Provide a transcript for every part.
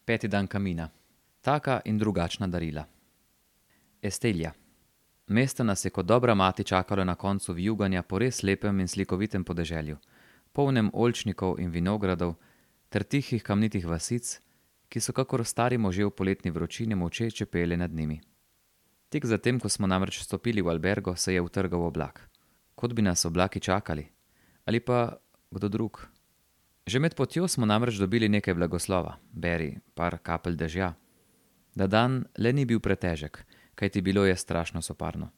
Peti dan kamina. Taka in drugačna darila. Estelja. Mesto nas je kot dobra mati čakalo na koncu vijuganja po res lepem in slikovitem podeželju, polnem oljčnikov in vinogradov ter tihih kamnitih vasic, ki so kakor stari možje v poletni vročini molče čepele nad njimi. Tik zatem, ko smo namreč stopili v albergo, se je utrgal oblak. Kot bi nas oblaki čakali. Ali pa kdo drug. Že med potjo smo namreč dobili nekaj blagoslova, beri par kapelj dežja. Da dan le ni bil pretežek, kajti bilo je strašno soparno.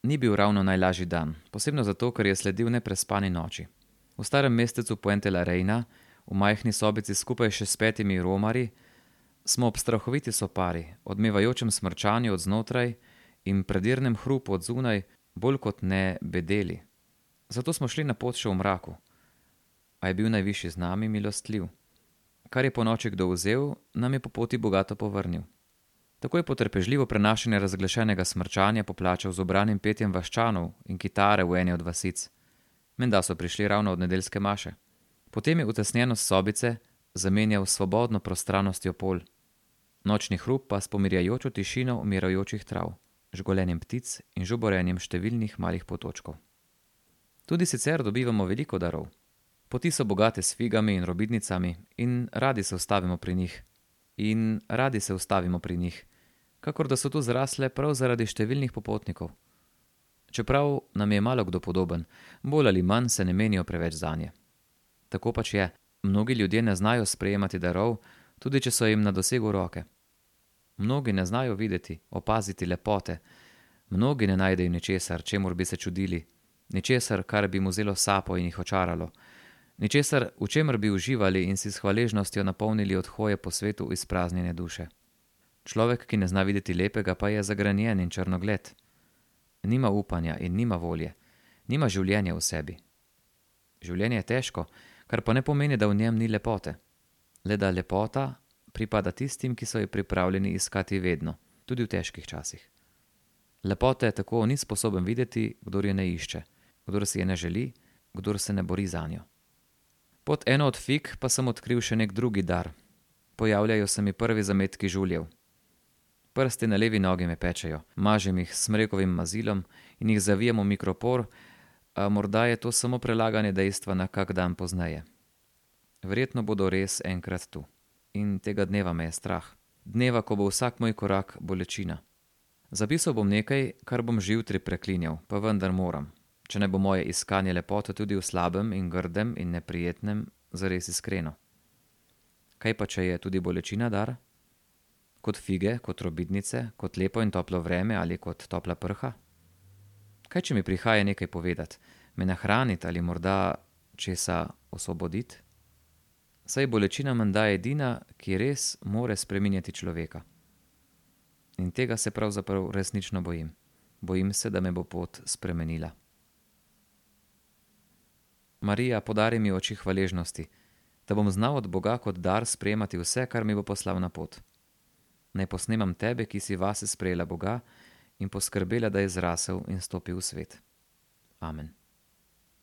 Ni bil ravno najlažji dan, posebno zato, ker je sledil neprespani noči. V starem mestecu Puente la Reina, v majhni sobici skupaj še s 5 romarji, smo ob strahoviti sopari, odmevajočem smrčanju od znotraj in predirnem hrupu od zunaj, bolj kot ne bedeli. Zato smo šli na pot še v mraku. A je bil najvišji z nami milostljiv. Kar je po noči kdo vzel, nam je po poti bogato povrnil. Tako je potrpežljivo prenašanje razglašenega smrčanja poplačal z ubranim petjem vaščanov in kitare v eni od vasic. Menda so prišli ravno od nedeljske maše. Potem je utesnjenost sobice zamenjal s svobodno prostranostjo polj. Nočni hrup pa s pomirjajočo tišino umirajočih trav, žgolenjem ptic in žuborenjem številnih malih potočkov. Tudi sicer dobivamo veliko darov. Poti so bogate s figami in robidnicami in radi se ustavimo pri njih. Kakor da so tu zrasle prav zaradi številnih popotnikov. Čeprav nam je malo kdo podoben, bolj ali manj se ne menijo preveč zanje. Tako pač je, mnogi ljudje ne znajo sprejemati darov, tudi če so jim na dosegu roke. Mnogi ne znajo videti, opaziti lepote, mnogi ne najdejo ničesar, čemur bi se čudili, ničesar, kar bi mu vzelo sapo in jih očaralo, ničesar, v čemer bi uživali in si s hvaležnostjo napolnili od hoje po svetu izpraznjene duše. Človek, ki ne zna videti lepega, pa je zagrenjen in črnogled. Nima upanja in nima volje, nima življenja v sebi. Življenje je težko, kar pa ne pomeni, da v njem ni lepote. Le da lepota pripada tistim, ki so jo pripravljeni iskati vedno, tudi v težkih časih. Lepote tako ni sposoben videti, kdor je ne išče, kdor si je ne želi, kdor se ne bori zanjo. Pod eno od fig pa sem odkril še nek drugi dar. Pojavljajo se mi prvi zametki žuljev. Prsti na levi nogi me pečejo, mažem jih s smrekovim mazilom in jih zavijem v mikropor, a morda je to samo prelaganje dejstva na kak dan pozneje. Verjetno bodo res enkrat tu. In tega dneva me je strah. Dneva, ko bo vsak moj korak bolečina. Zapisal bom nekaj, kar bom že jutri preklinjal, pa vendar moram, če ne bo moje iskanje lepote tudi v slabem in grdem in neprijetnem zares iskreno. Kaj pa, če je tudi bolečina dar? Kot fige, kot robidnice, kot lepo in toplo vreme ali kot topla prha? Kaj, če mi prihaja nekaj povedati, me nahraniti ali morda česa osvoboditi? Saj bolečina menda edina, ki res more spreminjati človeka. In tega se pravzaprav resnično bojim. Bojim se, da me bo pot spremenila. Marija, podari mi oči hvaležnosti, da bom znal od Boga kot dar sprejemati vse, kar mi bo poslal na pot. Naj posnemam tebe, ki si vase sprejela Boga in poskrbela, da je zrasel in stopil v svet. Amen.